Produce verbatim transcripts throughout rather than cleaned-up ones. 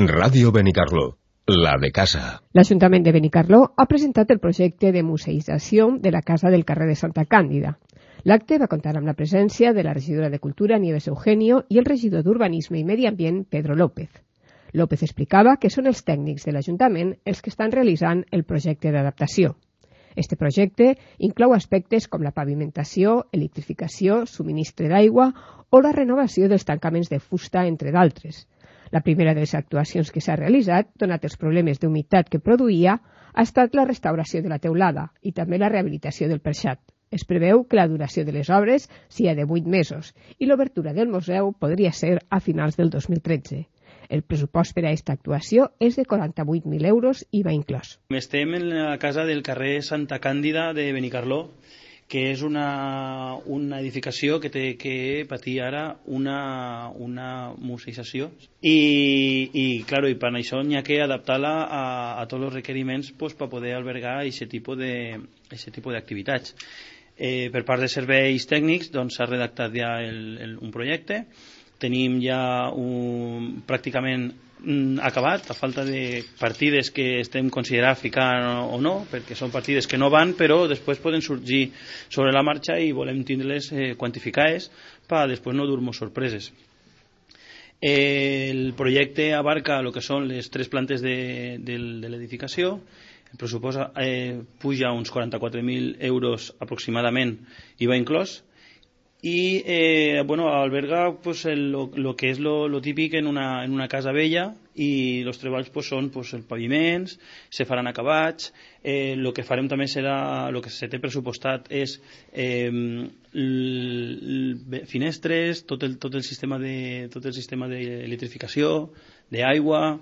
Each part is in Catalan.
Ràdio Benicarló, la de casa. L'Ajuntament de Benicarló ha presentat el projecte de museïtzació de la Casa del carrer de Santa Càndida. L'acte va comptar amb la presència de la regidora de Cultura, Nieves Eugenio, i el regidor d'Urbanisme i Medi Ambient, Pedro López. López explicava que són els tècnics de l'Ajuntament els que estan realitzant el projecte d'adaptació. Este projecte inclou aspectes com la pavimentació, electrificació, subministre d'aigua o la renovació dels tancaments de fusta, entre d'altres. La primera de les actuacions que s'ha realitzat, donat els problemes d'humitat que produïa, ha estat la restauració de la teulada i també la rehabilitació del perxat. Es preveu que la duració de les obres sigui de vuit mesos i l'obertura del museu podria ser a finals del dos mil tretze. El pressupost per a aquesta actuació és de quaranta-vuit mil euros i va inclòs. Estem en la casa del carrer Santa Càndida de Benicarló, que és una, una edificació que té que patir ara una, una museïtzació. I, i, claro, i per això n'hi ha que adaptar-la a, a tots els requeriments pues, per poder albergar aquest tipus de, aquest tipus d'activitats. Eh, per part de serveis tècnics doncs, s'ha redactat ja el, el, un projecte. Tenim ja un, pràcticament mm, acabat, a falta de partides que estem considerant ficar o no, perquè són partides que no van, però després poden sorgir sobre la marxa i volem tindre-les eh, quantificades per després no dur-nos sorpreses. El projecte abarca el que són les tres plantes de, de, de l'edificació. El pressupost eh, puja uns quaranta-quatre mil euros aproximadament i va inclòs. I eh, bueno, alberga pues, el, lo, lo que és lo, lo típic en una, en una casa vella i els treballs pues, són pues, els paviments, se faran acabats. Eh, lo que farem també serà, el que se té pressupostat és eh, l, l, finestres, tot el, tot el sistema de, tot el sistema d'electrificació, d'aigua,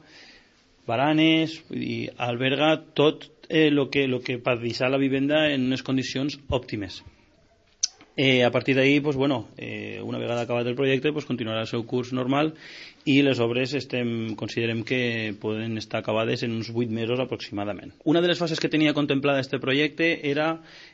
baranes, i alberga tot el eh, lo que, lo que per deixar la vivenda en unes condicions òptimes. Eh, a partir d'ahí, pues, bueno, eh, una vegada acabat el projecte, pues, continuarà el seu curs normal i les obres estem, considerem que poden estar acabades en uns vuit mesos aproximadament. Una de les fases que tenia contemplada aquest projecte era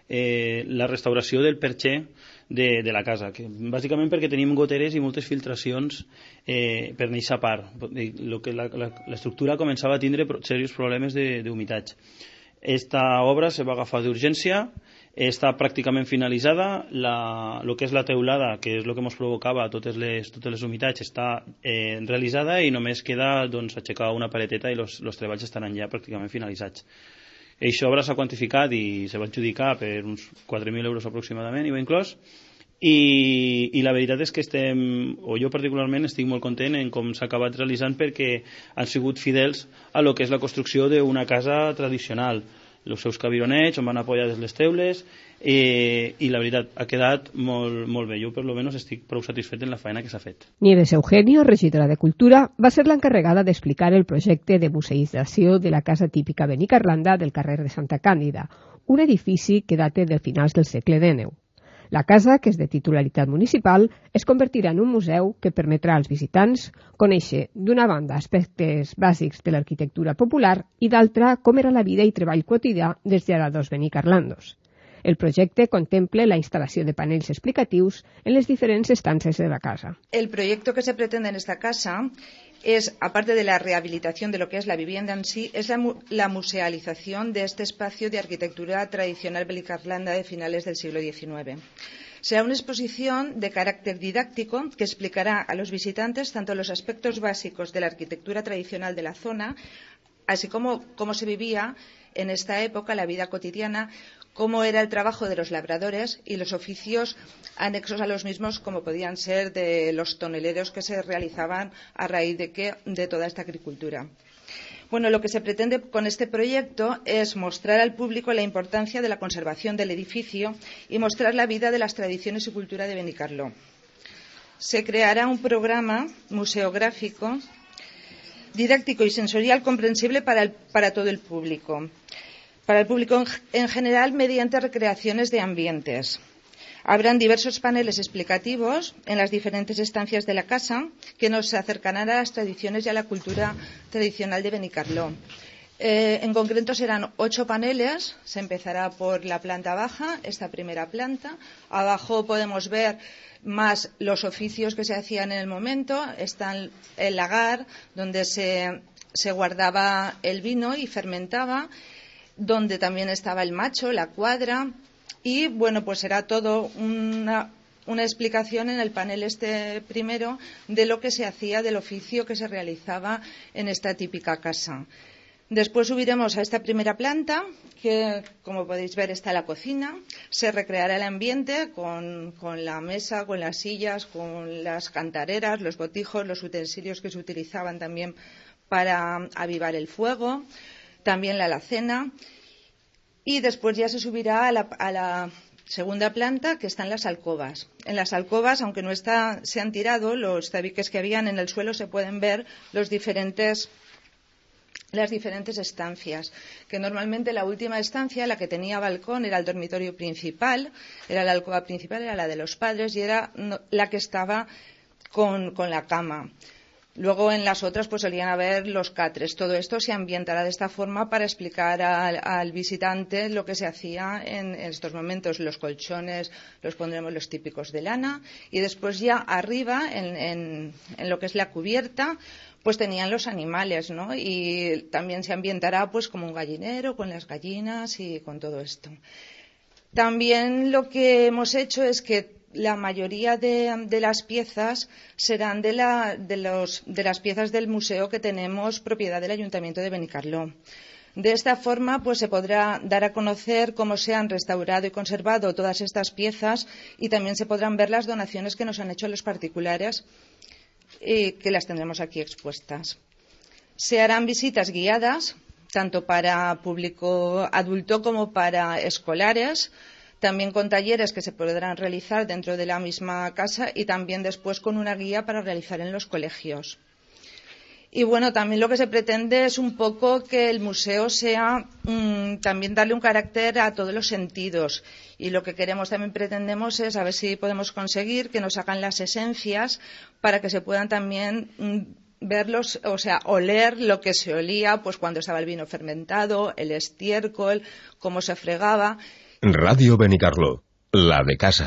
eh, la restauració del perxer de, de la casa, que, bàsicament perquè tenim goteres i moltes filtracions eh, per aquesta part. Lo que la, la, l'estructura començava a tindre serios problemes d'humitat. Esta obra se va agafar d'urgència, està pràcticament finalitzada, la, lo que és la teulada, que és el que ens provocava totes les, totes les humitats, està eh, realitzada i només queda doncs, aixecar una pareteta i els treballs estaran ja pràcticament finalitzats. Aquesta obra s'ha quantificat i se va adjudicar per uns quatre mil euros aproximadament, i va inclòs, i, i la veritat és que estem, o jo particularment estic molt content en com s'ha acabat realitzant perquè han sigut fidels a lo que és la construcció d'una casa tradicional, els seus cabironets on van apoyades les teules, eh, i la veritat ha quedat molt, molt bé. Jo per lo menos estic prou satisfet en la feina que s'ha fet. Nieves Eugenio, regidora de Cultura, va ser l'encarregada d'explicar el projecte de museïtzació de la casa típica benicarlanda del carrer de Santa Càndida, un edifici que data de finals del segle dinou. La casa, que és de titularitat municipal, es convertirà en un museu que permetrà als visitants conèixer, d'una banda, aspectes bàsics de l'arquitectura popular i d'altra, com era la vida i treball quotidià dels llegadors benicarlandos. El projecte contempla la instal·lació de panells explicatius en les diferents estances de la casa. El proyecto que se pretende en esta casa es, aparte de la rehabilitación de lo que es la vivienda en sí, es la, la musealización de este espacio de arquitectura tradicional benicarlanda de finales del siglo diecinueve. Será una exposición de carácter didáctico que explicará a los visitantes tanto los aspectos básicos de la arquitectura tradicional de la zona, así como cómo se vivía en esta época la vida cotidiana, cómo era el trabajo de los labradores y los oficios anexos a los mismos, como podían ser de los toneleros que se realizaban a raíz de, que, de toda esta agricultura. Bueno, lo que se pretende con este proyecto es mostrar al público la importancia de la conservación del edificio y mostrar la vida de las tradiciones y cultura de Benicarló. Se creará un programa museográfico, didáctico y sensorial comprensible para, el, para todo el público. Para el público en general, mediante recreaciones de ambientes. Habrán diversos paneles explicativos en las diferentes estancias de la casa que nos acercarán a las tradiciones y a la cultura tradicional de Benicarló. Eh, en concreto serán ocho paneles, se empezará por la planta baja, esta primera planta. Abajo podemos ver más los oficios que se hacían en el momento, está el lagar, donde se se guardaba el vino y fermentaba, donde también estaba el macho, la cuadra, y bueno, pues era todo una, una explicación en el panel este primero de lo que se hacía, del oficio que se realizaba en esta típica casa. Después subiremos a esta primera planta, que como podéis ver está la cocina. Se recreará el ambiente con, con la mesa, con las sillas, con las cantareras, los botijos, los utensilios que se utilizaban también para avivar el fuego, también la alacena. Y después ya se subirá a la, a la segunda planta, que están las alcobas. En las alcobas, aunque no está, se han tirado, los tabiques que habían en el suelo, se pueden ver los diferentes las diferentes estancias, que normalmente la última estancia, la que tenía balcón, era el dormitorio principal, era la alcoba principal, era la de los padres y era la que estaba con, con la cama. Luego en las otras pues solían haber los catres. Todo esto se ambientará de esta forma para explicar al, al visitante lo que se hacía en, en estos momentos. Los colchones los pondremos los típicos de lana y después ya arriba en, en, en lo que es la cubierta pues tenían los animales, ¿no? Y también se ambientará pues como un gallinero con las gallinas y con todo esto. También lo que hemos hecho es que la mayoría de, de las piezas serán de, la, de, los, de las piezas del museo que tenemos propiedad del Ayuntamiento de Benicarló. De esta forma pues se podrá dar a conocer cómo se han restaurado y conservado todas estas piezas y también se podrán ver las donaciones que nos han hecho los particulares y que las tendremos aquí expuestas. Se harán visitas guiadas tanto para público adulto como para escolares, también con talleres que se podrán realizar dentro de la misma casa y también después con una guía para realizar en los colegios. Y bueno, también lo que se pretende es un poco que el museo sea mmm, también darle un carácter a todos los sentidos. Y lo que queremos también pretendemos es a ver si podemos conseguir que nos hagan las esencias para que se puedan también mmm, verlos, o sea, oler lo que se olía pues cuando estaba el vino fermentado, el estiércol, cómo se fregaba. Radio Benicarló, la de casa.